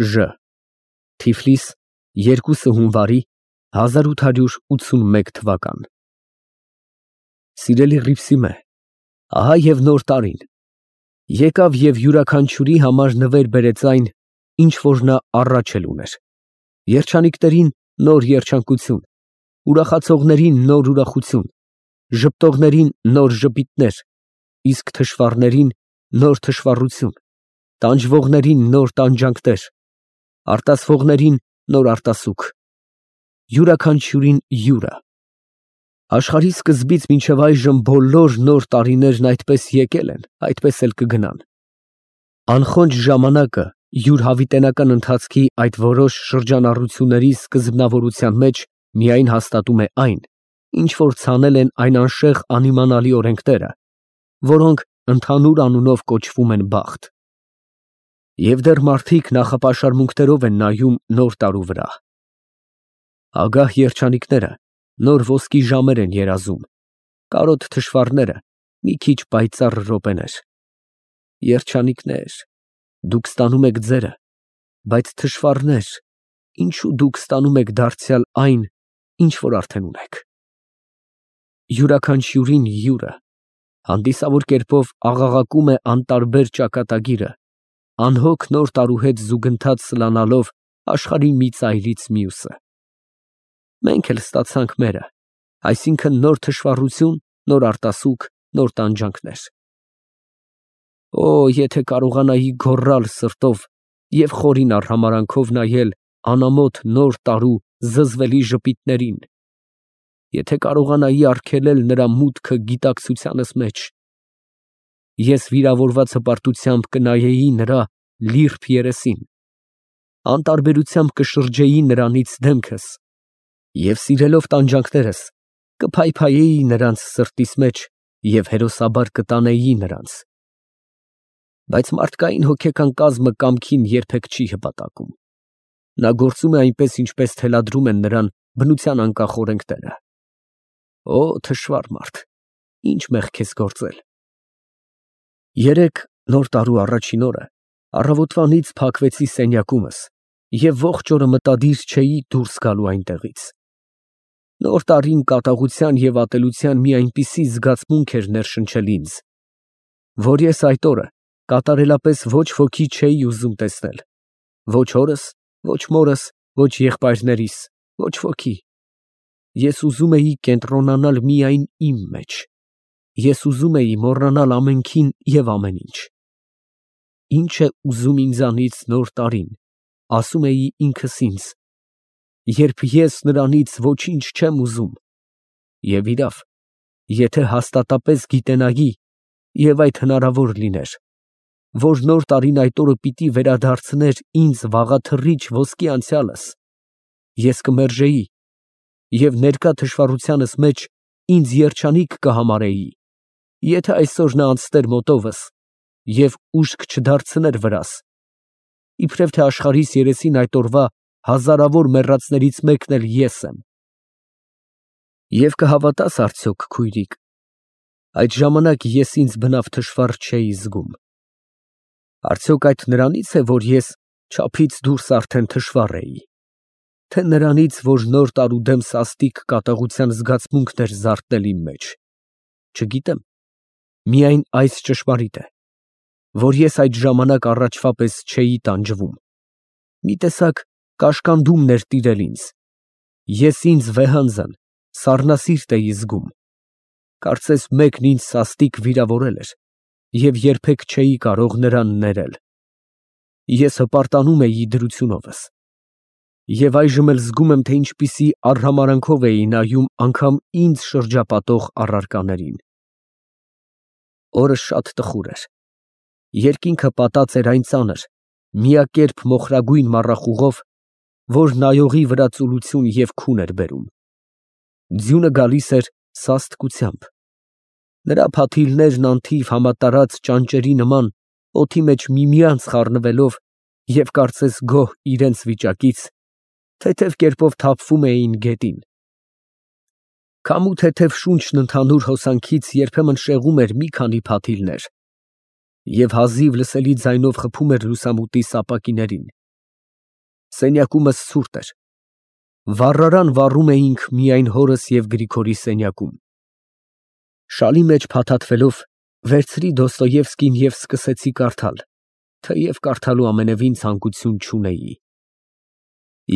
Ժ Թիֆլիս 2 հունվարի 1881 թվական։ Սիրելի Հռիփսիմե, ահա և նոր տարին, եկավ և յուրաքանչյուրի համար նվեր բերեց այն, ինչ որ նա առաջ էլ ուներ, երջանիկներին նոր երջանկություն, ուրախացողներին նոր ուրախություն, ժպտողներին նոր ժպիտներ, իսկ թշվառներին նոր թշվառություն, տանջվողներին նոր տանջանքներ, արտասվողներին նոր արտասուք, յուրաքանչյուրին յուրը։ Աշխարհի սկզբից մինչև այժմ բոլոր նոր տարիներն այդպես եկել են, այդպես էլ կգնան։ Անխոնջ ժամանակը յուր հավիտենական ընթացքի այդ որոշ շրջանառությունների սկզբնավորության մեջ միայն հաստատում է այն, ինչ որ ցանել են այն անշեղ անիմանալի օրենքները, որոնք ընդհանուր անունով կոչվում են բախտ։ Եվ դեռ մարդիկ նախապաշարմունքներով են նայում նոր տարու վրա։ Ագահ երջանիկները նոր ոսկի ժամեր են երազում, կարոտ թշվառները մի քիչ պայծառ րոպեներ։ Երջանիկներ, դուք ստանում եք ձերը, բայց թշվառներ, ինչու դուք ստանում եք դարձյալ այն, ինչ որ արդեն ունեք։ Յուրաքանչյուրին յուրը հանդիսավոր կերպով աղաղակում է անտարբեր ճակատագիրը, անհոգ նոր տարու հետ զուգընթաց սլանալով աշխարհի մի ծայրից մյուսը։ Մենք էլ ստացանք մերը, այսինքն նոր թշվառություն, նոր արտասուք, նոր տանջանքներ։ Օ, եթե կարողանայի գոռալ սրտով և խորին արհամարհանքով նայել անամոթ նոր տարու զզվելի ժպիտներին, եթե կարողանայի արգելել նրա մուտքը գիտակցությանս մեջ, ես վիրավորված հպարտությամբ կնայեի նրա լիրբ երեսին, անտարբերությամբ կշրջեի նրանից դեմքս և սիրելով տանջանքներս կփայփայեի նրանց սրտիս մեջ և հերոսաբար կտանեի նրանց։ Բայց մարդկային հոգեկան կազմը կամքին երբեք չի հպատակում։ Նա գործում է այնպես, ինչպես թելադրում են նրան բնության անկախ օրենքները։ Օ, թշվառ մարդ, ինչ մեղք ես գործել։ Երեկ նոր տարու առաջին օրը առավոտվանից փակվեցի սենյակումս և ողջ օրը մտադիր չէի դուրս գալու այնտեղից։ Նոր տարին կատաղության և ատելության մի այնպիսի զգացմունք էր ներշնչել ինձ, որ ես այդ օրը կատարելապես ոչ ոքի չէի ուզում տեսնել, ոչ հորս, ոչ մորս, ոչ եղբայրներիս, ոչ ոքի։ Ես ուզում էի կենտրոնանալ միայն իմ մեջ, ես ուզում էի մոռանալ ամենքին և ամեն ինչ։ Ինչ է ուզում ինձանից նոր տարին, ասում էի ինքս ինձ, երբ ես նրանից ոչինչ չեմ ուզում, և իրավ, եթե հաստատապես գիտենայի, և այդ հնարավոր լիներ, որ նոր տարին այդ օրը պիտի վերադարձներ ինձ վաղաթռիչ ոսկի անցյալս, ես կմերժեի և ներկա թշվառությանս մեջ ինձ երջանիկ կհամարեի, եթե այսօր նա անցներ մոտովս և ուշք չդարձներ վրաս, իբրև թե աշխարհիս երեսին այդ օրվա հազարավոր մեռածներից մեկն էլ ես եմ։ Եվ կհավատաս արդյոք, քույրիկ, այդ ժամանակ ես ինձ բնավ թշվառ չէի զգում։ Արդյոք այդ նրանից է, որ ես չափից դուրս արդեն թշվառ էի, թե նրանից, որ նոր տարու դեմ սաստիկ կատաղության զգացմունքն էր զարթնել իմ մեջ։ Չգիտեմ, միայն այս ճշմարիտ է, որ ես այդ ժամանակ առաջվա պես չէի տանջվում, մի տեսակ կաշկանդումն էր տիրել ինձ, ես ինձ վեհանձն, սառնասիրտ էի զգում, կարծես մեկն ինձ սաստիկ վիրավորել էր և երբեք չէի կարող նրան ներել։ Ես հպարտանում էի դրությունովս և այժմ էլ զգում եմ, թե ինչպիսի արհամարհանքով էի նայում անգամ ինձ շրջապատող առարկաներին։ Օրը շատ տխուր էր, երկինքը պատած էր այն ծանր, միակերպ մոխրագույն մառախուղով, որ նայողի վրա ծուլություն և քուն էր բերում։ Ձյունը գալիս էր սաստկությամբ, նրա փաթիլներն անթիվ համատարած ճանճերի նման օդի մեջ միմյանց խառնվելով և կարծես գոհ իրենց վիճակից, թեթև կերպով թափվում էին գետին։ Քամու թեթև շունչն ընդհանուր հոսանքից երբեմն շեղում էր մի քանի փաթիլներ և հազիվ լսելի ձայնով խփում էր լուսամուտի սապակիներին, Սենյակումս ցուրտ էր։ Վառարան վառում էինք միայն հորս և Գրիգորի սենյակում։ Շալի մեջ փաթաթվելով վերցրի Դոստոևսկին և սկսեցի կարդալ, թեև կարդալու ամենևին ցանկություն չունեի։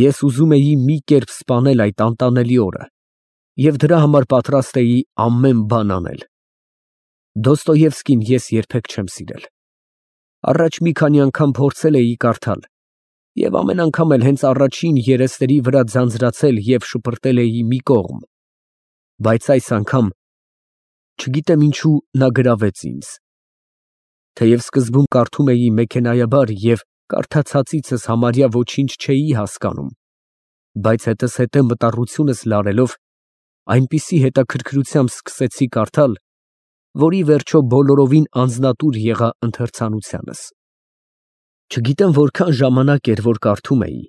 Ես ուզում էի մի կերպ սպանել այդ անտանելի օրը և դրա համար պատրաստ էի ամեն բան անել։ Դոստոևսկին ես երբեք չեմ սիրել։ Առաջ մի քանի անգամ փորձել էի կարդալ և ամեն անգամ էլ հենց առաջին երեսների վրա ձանձրացել և շպրտել էի մի կողմ, բայց այս անգամ, չգիտեմ ինչու, նա գրավեց ինձ։ Թեև սկզբում կարդում էի մեքենայաբար և կարդացածիցս համարյա ոչինչ չէի հասկանում, բայց հետզհետե մտառությունս լարելով, այնպիսի հետաքրքրությամբ սկսեցի կարդալ, որ ի վերջո բոլորովին անձնատուր եղա ընթերցանությանս։ Չգիտեմ որքան ժամանակ էր, որ կարդում էի,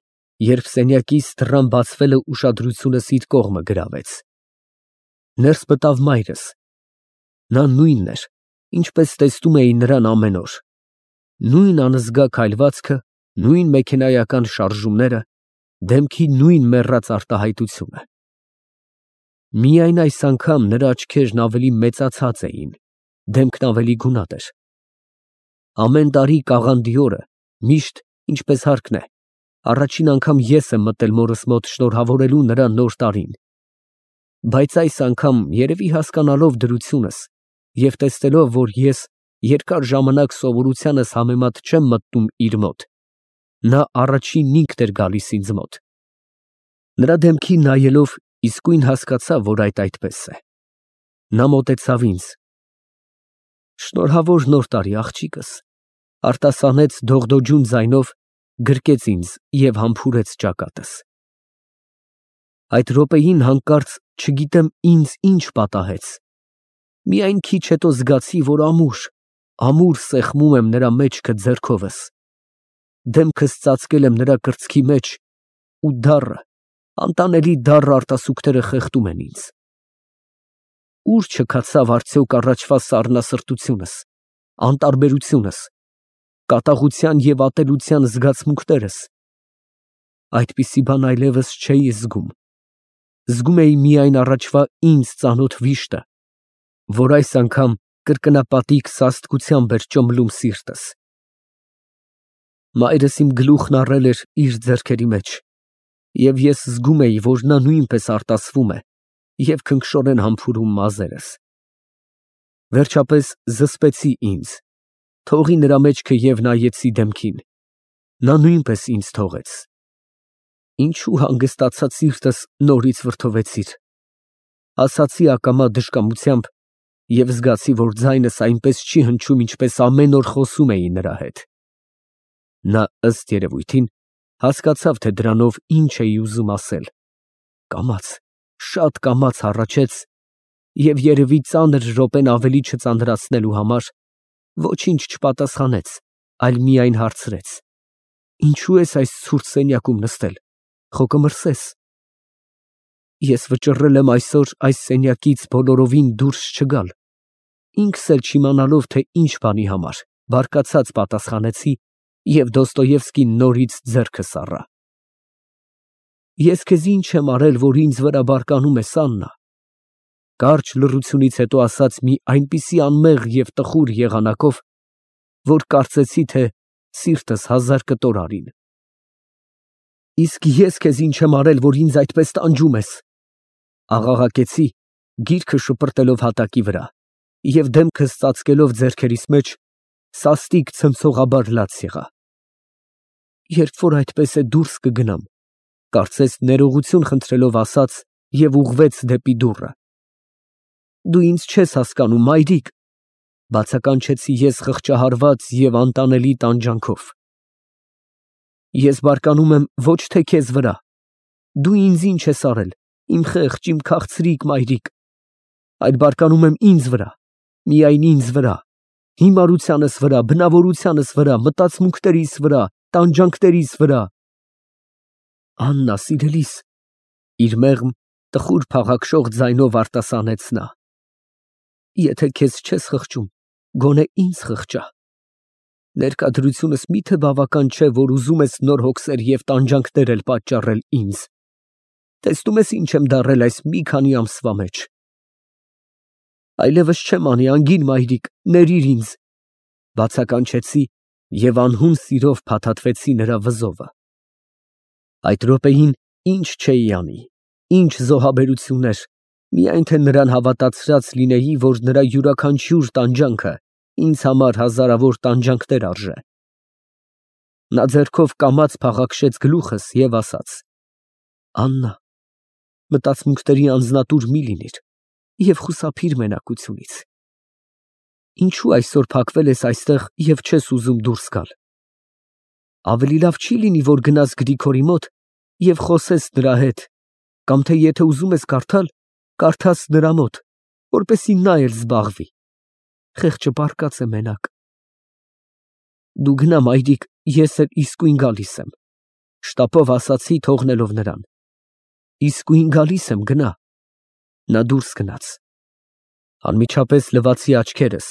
երբ սենյակիս դռան բացվելը ուշադրությունս իր կողմը գրավեց։ Ներս մտավ մայրս։ Նա նույնն էր, ինչպես տեսնում էի նրան ամեն օր։ Նույն անզգա քայլվածքը, նույն մեքենայական շարժումները, դեմքի նույն մեռած արտահայտությունը։ Միայն այս անգամ նրա աչքերն ավելի մեծացած էին, դեմքն ավելի գունատ էր։ Ամեն տարի կաղանդի օրը, միշտ, ինչպես հարկն է, առաջին անգամ ես եմ մտել մորս մոտ շնորհավորելու նրան նոր տարին, բայց այս անգամ, երևի հասկանալով դրությունս և տեսնելով, որ ես երկար ժամանակ սովորությանս համեմատ չեմ մտնում իր մոտ, նա առաջինն ինքն էր գալիս ինձ մոտ։ Նրա դեմքին նայելով իսկույն հասկացա, որ այդպես է։ Նա մոտեցավ ինձ։ Շնորհավոր նոր տարի, աղջիկս, արտասանեց դողդոջուն ձայնով, գրկեց ինձ և համբուրեց ճակատս։ Այդ րոպեին հանկարծ չգիտեմ ինձ ինչ պատահեց։ Միայն քիչ հետո զգացի, որ ամուր սեղմում եմ նրա մեջքը ձեռքովս, դեմքս ծածկել եմ նրա կրծքի մեջ ու դառը, անտանելի դառը արտասուքները խեղդում են ինձ։ Ուր չքացավ արդյոք առաջվա սառնասրտությունս, անտարբերությունս, կատաղության և ատելության զգացմունքներս։ Այդպիսի բան այլևս չէի զգում։ Զգում էի միայն առաջվա ինձ ծանոթ վիշտը, որ այս անգամ կրկնապատիկ սաստկությամբ էր ճոմլում սիրտս։ Մայրս իմ գլուխն առել էր իր ձեռքերի մեջ, և ես զգում էի, որ նա նույնպես արտասվում է և քնքշորեն համբուրում մազերս։ Վերջապես զսպեցի ինձ, թողի նրա մեջքը և նայեցի դեմքին։ Նա նույնպես ինձ թողեց։ Ինչու հանգստացած սիրտս նորից վրդովվեցիր, ասացի ակամա դժկամությամբ և զգացի, որ ձայնս այնպես չի հնչում, ինչպես ամեն օր խոսում էի նրա հետ։ Նա, ըստ երևույթին, հասկացավ, թե դրանով ինչ էի ուզում ասել, կամաց, շատ կամաց հառաչեց և, երևի ծանր րոպեն ավելի չծանրացնելու համար, ոչինչ չպատասխանեց, այլ միայն հարցրեց. «Ինչու ես այս ցուրտ սենյակում նստել, խո կմրսես»։ Ես վճռել եմ այսօր այս սենյակից բոլորովին դուրս չգալ, ինքս էլ չիմանալով, թե ինչ բանի համար, բարկացած պատասխանեցի և Դոստոևսկին նորից ձեռքս առա։ Ես քեզ ինչ եմ արել, որ ինձ վրա բարկանում ես, Աննա, կարճ լռությունից հետո ասաց մի այնպիսի անմեղ և տխուր եղանակով, որ կարծեցի, թե սիրտս հազար կտոր արին։ Իսկ ես քեզ ինչ եմ արել, որ ինձ այդպես տանջում ես, աղաղակեցի, գիրքը շպրտելով հատակի վրա և դեմքս ծածկելով ձեռքերիս մեջ, սաստիկ ցնցողաբար լաց եղա։ Երբ որ այդպես է, դուրս կգնամ, կարծես ներողություն խնդրելով ասաց և ուղղվեց դեպի դուռը։ Դու ինձ չես հասկանում, մայրիկ, բացականչեցի ես խղճահարված և անտանելի տանջանքով։ Ես բարկանում եմ ոչ թե քեզ վրա, դու ինձ ինչ ես արել, իմ խեղճ, իմ քաղցրիկ մայրիկ, այլ բարկանում եմ ինձ վրա, միայն ինձ վրա, հիմարությանս վրա, բնավորությանս վրա, մտածմունքներիս վրա, տանջանքներիս վրա։ Աննա, սիրելիս, իր մեղմ, տխուր փաղաքշող ձայնով արտասանեց նա, եթե քեզ չես խղճում, գոնե ինձ խղճա։ Ներկայությունս միթե բավական չէ, որ ուզում ես նոր հոգսեր և տանջանքներ էլ պատճառել ինձ։ Տեսնում ես ինչ եմ դառել այս մի քանի ամսվա մեջ։ Այլևս չեմ անի, անգին մայրիկ, ներիր ինձ, բացականչեցի և անհուն սիրով փաթաթվեցի նրա վզովը։ Այդ րոպեին ինչ չէի անի, ինչ զոհաբերություններ, միայն թե նրան հավատացրած լինեի, որ նրա յուրաքանչյուր տանջանքը ինձ համար հազարավոր տանջանքներ արժե։ Նա ձեռքով կամաց փաղաքշեց գլուխս և ասաց. «Աննա, մտածմունքների անձնատուր մի լինիր և խուսափիր մենակությունից։ Ինչու այսօր փակվել ես այստեղ և չես ուզում դուրս գալ։ Ավելի լավ չի լինի, որ գնաս Գրիգորի մոտ և խոսես նրա հետ, կամ թե եթե ուզում ես կարդալ, կարդաս նրա մոտ, որպեսզի նա էլ զբաղվի։ Խեղճը պառկած է մենակ։ Դու գնա, մայրիկ, ես էլ իսկույն գալիս եմ», շտապով ասացի, թողնելով նրան։ «Իսկույն գալիս եմ, գնա»։ Նա դուրս գնաց։ Անմիջապես լվացի աչքերս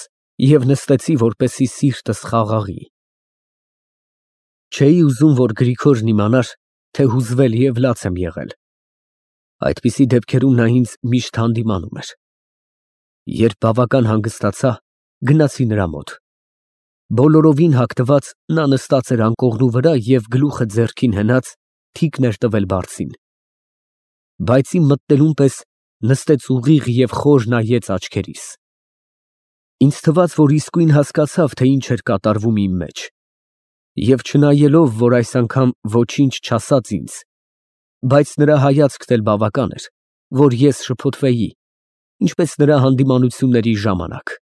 և նստեցի, որպեսզի սիրտս խաղաղի։ Չէի ուզում, որ Գրիգորն իմանար, թե հուզվել և լաց եմ եղել։ Այդպիսի դեպքերում նա ինձ միշտ հանդիմանում էր։ Երբ բավական հանգստացա, գնացի նրա մոտ։ Բոլորովին հագնված նա նստած էր անկողնու վրա և գլուխը ձեռքին հենած թիկն էր տվել բարձին։ Բայց իմ մտնելուն պես նստեց ուղիղ և խոր նայեց աչքերիս։ Ինձ թվաց, որ իսկույն հասկացավ, թե ինչ էր կատարվում իմ մեջ, և չնայելով, որ այս անգամ ոչինչ չասաց ինձ, բայց նրա հայացքն էլ բավական էր, որ ես շփոթվեի, ինչպես նրա հանդիմանությունների ժամանակ։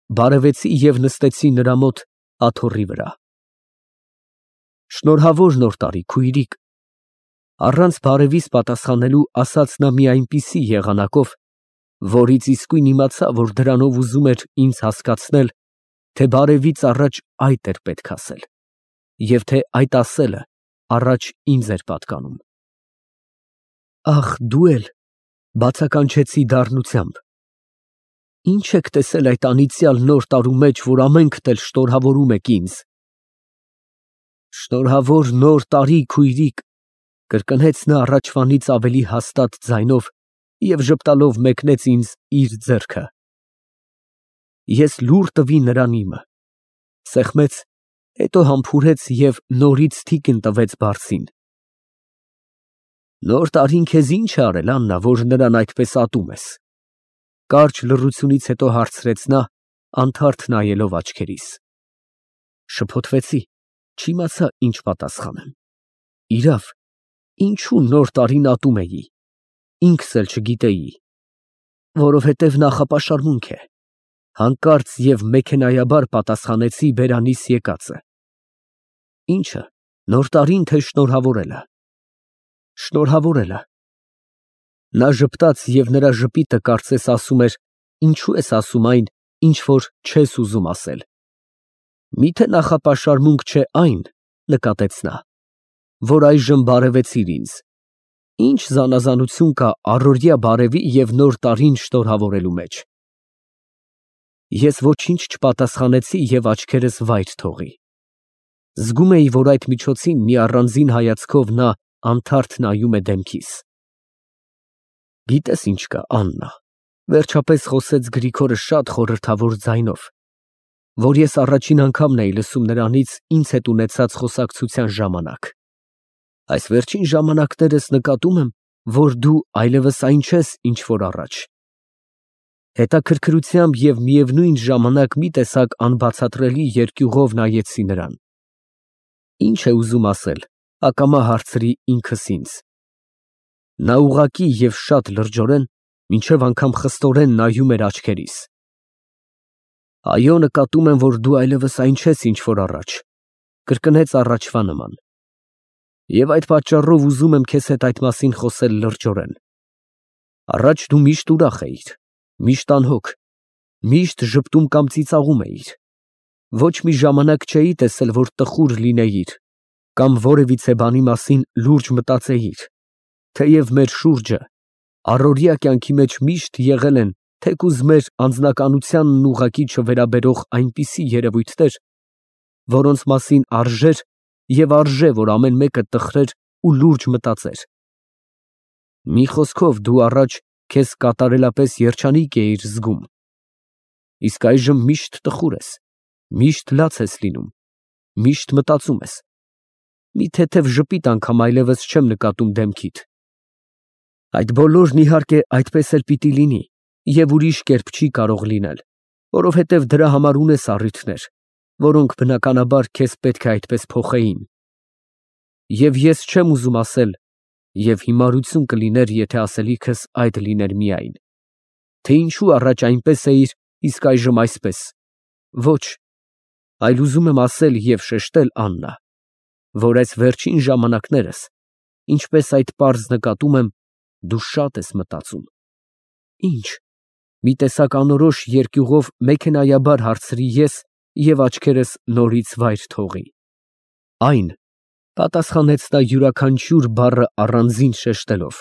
Բարևեցի և նստեցի նրա մոտ աթոռի վրա։ Շնորհավոր Նոր տարի, քույրիկ, առանց բարևիս պատասխանելու ասաց նա մի այնպիսի եղանակով, որից իսկույն իմացա, որ դրանով ուզում էր ինձ հասկացնել, թե բարևից առաջ այդ էր պետք ասել, և թե այդ ասելը առաջ ինձ էր պատկանում։ Ախ, դու էլ, բացականչեցի դառնությամբ, ի՞նչ եք տեսել այդ անիծյալ նոր տարու մեջ, որ ամենքդ էլ շնորհավորում եք ինձ։ Շնորհավոր Նոր տարի, քույրիկ, կրկնեց նա առաջվանից ավելի հաստատ ձայնով և ժպտալով մեկնեց ինձ իր ձեռքը։ Ես լուռ տվի նրան իմը, սեղմեց, հետո համբուրեց և նորից թիկն տվեց բարձին։ Նոր տարին քեզ ի՞նչ է արել, Աննա, որ նրան այդպես ատում ես։ Կարճ լռությունից հետո հարցրեց նա, անթարթ նայելով աչքերիս։ Շփոթվեցի, չիմացա ինչ պատասխանեմ։ Իրավ, ինչու նոր տարին ատում էի, ինքս էլ չգիտեի։ Որովհետև նախապաշարմունք է, հանկարծ և մեքենայաբար պատասխանեցի բերանիս եկածը։ Ի՞նչը, նոր տարին, թե շնորհավորելը։ Շնորհավորելը։ Նա ժպտաց և նրա ժպիտը կարծես ասում էր. «Ինչու ես ասում այն, ինչ որ չես ուզում ասել»։ Միթե նախապաշարմունք չէ այն, նկատեց նա, որ այժմ բարևեցիր ինձ։ Ինչ զանազանություն կա առօրյա բարևի և նոր տարին շնորհավորելու մեջ։ Ես ոչինչ չպատասխանեցի և աչքերս վայր թողի։ Զգում էի, որ այդ միջոցին մի առանձին հայացքով նա անթարթ նայում է դեմքիս։ Գիտես ինչ կա, Աննա, վերջապես խոսեց Գրիգորը շատ խորհրդավոր ձայնով, որ ես առաջին անգամն էի լսում նրանից ինձ հետ ունեցած խոսակցության ժամանակ։ Այս վերջին ժամանակներս նկատում եմ, որ դու այլևս այն չես, ինչ որ առաջ։ Հետաքրքրությամբ և միևնույն ժամանակ մի տեսակ անբացատրելի երկյուղով նայեցի նրան։ Ինչ է ուզում ասել, ակամա հարցրի ինքս ինձ։ Նա ուղղակի և շատ լրջորեն, մինչև անգամ խստորեն նայում էր աչքերիս։ Այո, նկատում եմ, որ դու այլևս այն չես, ինչ որ առաջ, կրկնեց առաջվա նման։ Եվ այդ պատճառով ուզում եմ քեզ հետ այդ մասին խոսել լրջորեն։ Առաջ դու միշտ ուրախ էիր, միշտ անհոգ, միշտ ժպտում կամ ծիծաղում էիր։ Ոչ մի ժամանակ չէի տեսել, որ տխուր լինեիր կամ որևիցե բանի մասին լուրջ մտածեիր, թեև մեր շուրջը առօրյա կյանքի մեջ միշտ եղել են թեկուզ մեր անձնականությանն ուղղակի չվերաբերող այնպիսի երևույթներ, որոնց մասին արժեր և արժե, որ ամեն մեկը տխրեր ու լուրջ մտածեր։ Մի խոսքով, դու առաջ քեզ կատարելապես երջանիկ էիր զգում, իսկ այժմ միշտ տխուր ես, միշտ լաց ես լինում, միշտ մտածում ես. մի թեթև ժպիտ անգամ այլևս չեմ նկատում դեմքիդ։ Այդ բոլորն իհարկե այդպես էլ պիտի լինի և ուրիշ կերպ չի կարող լինել, որովհետև դրա համար ունես առիթներ, որոնք բնականաբար քեզ պետք է այդպես փոխեին։ Եվ ես չեմ ուզում ասել, և հիմարություն կլիներ, եթե ասելիքս այդ լիներ միայն, թե ինչու առաջ այնպես էիր, իսկ այժմ այսպես։ Ոչ, այլ ուզում եմ ասել և շեշտել, Աննա, որ այս վերջին ժամանակներս, ինչպես այդ պարզ նկատում եմ, դու շատ ես մտածում։ Ի՞նչ։ Մի տեսակ անորոշ երկյուղով մեքենայաբար հարցրի ես և աչքերս նորից վայր թողի։ Այն, պատասխանեց նա յուրաքանչյուր բառը առանձին շեշտելով,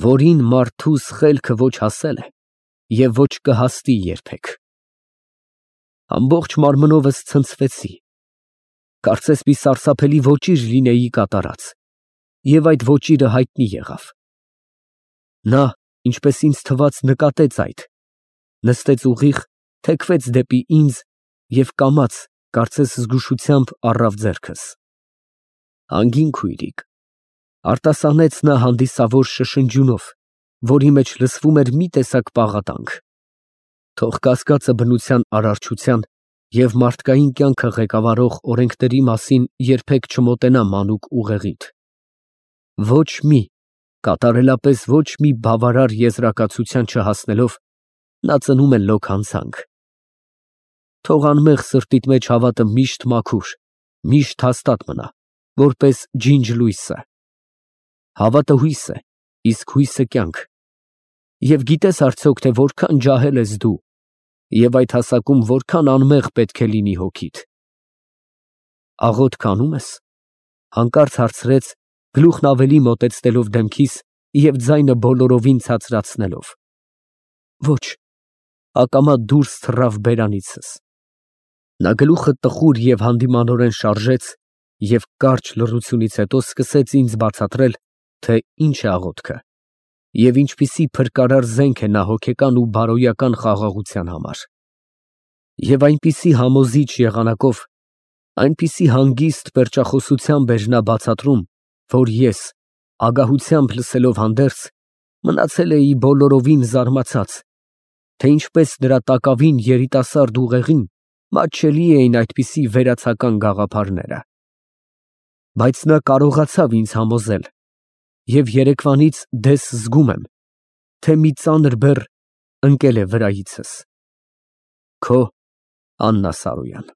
որին մարդուս խելքը ոչ հասել է և ոչ կհասնի երբեք։ Ամբողջ մարմնովս ցնցվեցի, կարծես մի սարսափելի ոճիր լինեի կատարած, և այդ ոճիրը հայտնի եղավ։ Նա, ինչպես ինձ թվաց, նկատեց այդ, նստեց ուղիղ, թեքվեց դեպի ինձ և կամաց, կարծես զգուշությամբ առավ ձեռքս։ Անգին քույրիկ, արտասանեց նա հանդիսավոր շշնջյունով, որի մեջ լսվում էր մի տեսակ պաղատանք, թող կասկածը բնության արարչության և մարդկային կյանքը ղեկավարող օրենքների մասին երբեք չմոտենա մանուկ ուղեղիդ։ Ոչ մի, կատարելապես ոչ մի բավարար եզրակացության չհասնելով, նա ծնում է լոկ հանցանք։ Թող անմեղ սրտիդ մեջ հավատը միշտ մաքուր, միշտ հաստատ մնա, որպես ջինջ լույսը։ Հավատը հույս է, իսկ հույսը կյանք։ Եվ գիտես արդյոք, թե որքան ջահել ես դու, և այդ հասակում որքան անմեղ պետք է լինի հոգիդ։ Աղոթք անում ես, հանկարծ հարցրեց, գլուխն ավելի մոտեցնելով դեմքիս և ձայնը բոլորովին ցածրացնելով։ Ոչ, ակամա դուրս թռավ բերանիցս։ Նա գլուխը տխուր և հանդիմանորեն շարժեց և կարճ լռությունից հետո սկսեց ինձ բացատրել, թե ինչ է աղոթքը և ինչպիսի փրկարար զենք է նա հոգեկան ու բարոյական խաղաղության համար։ Եվ այնպիսի համոզիչ եղանակով, այնպիսի հանգիստ պերճախոսությամբ էր նա բացատրում, որ ես, ագահությամբ լսելով հանդերձ, մնացել էի բոլորովին զարմացած, թե ինչպես նրա տակավին երիտասարդ ուղեղին մատչելի էին այդպիսի վերացական գաղափարները։ Բայց նա կարողացավ ինձ համոզել, և երեկվանից դես զգում եմ, թե մի ծանր բեռ ընկել է վրայիցս։ Քո Աննա Սարոյան։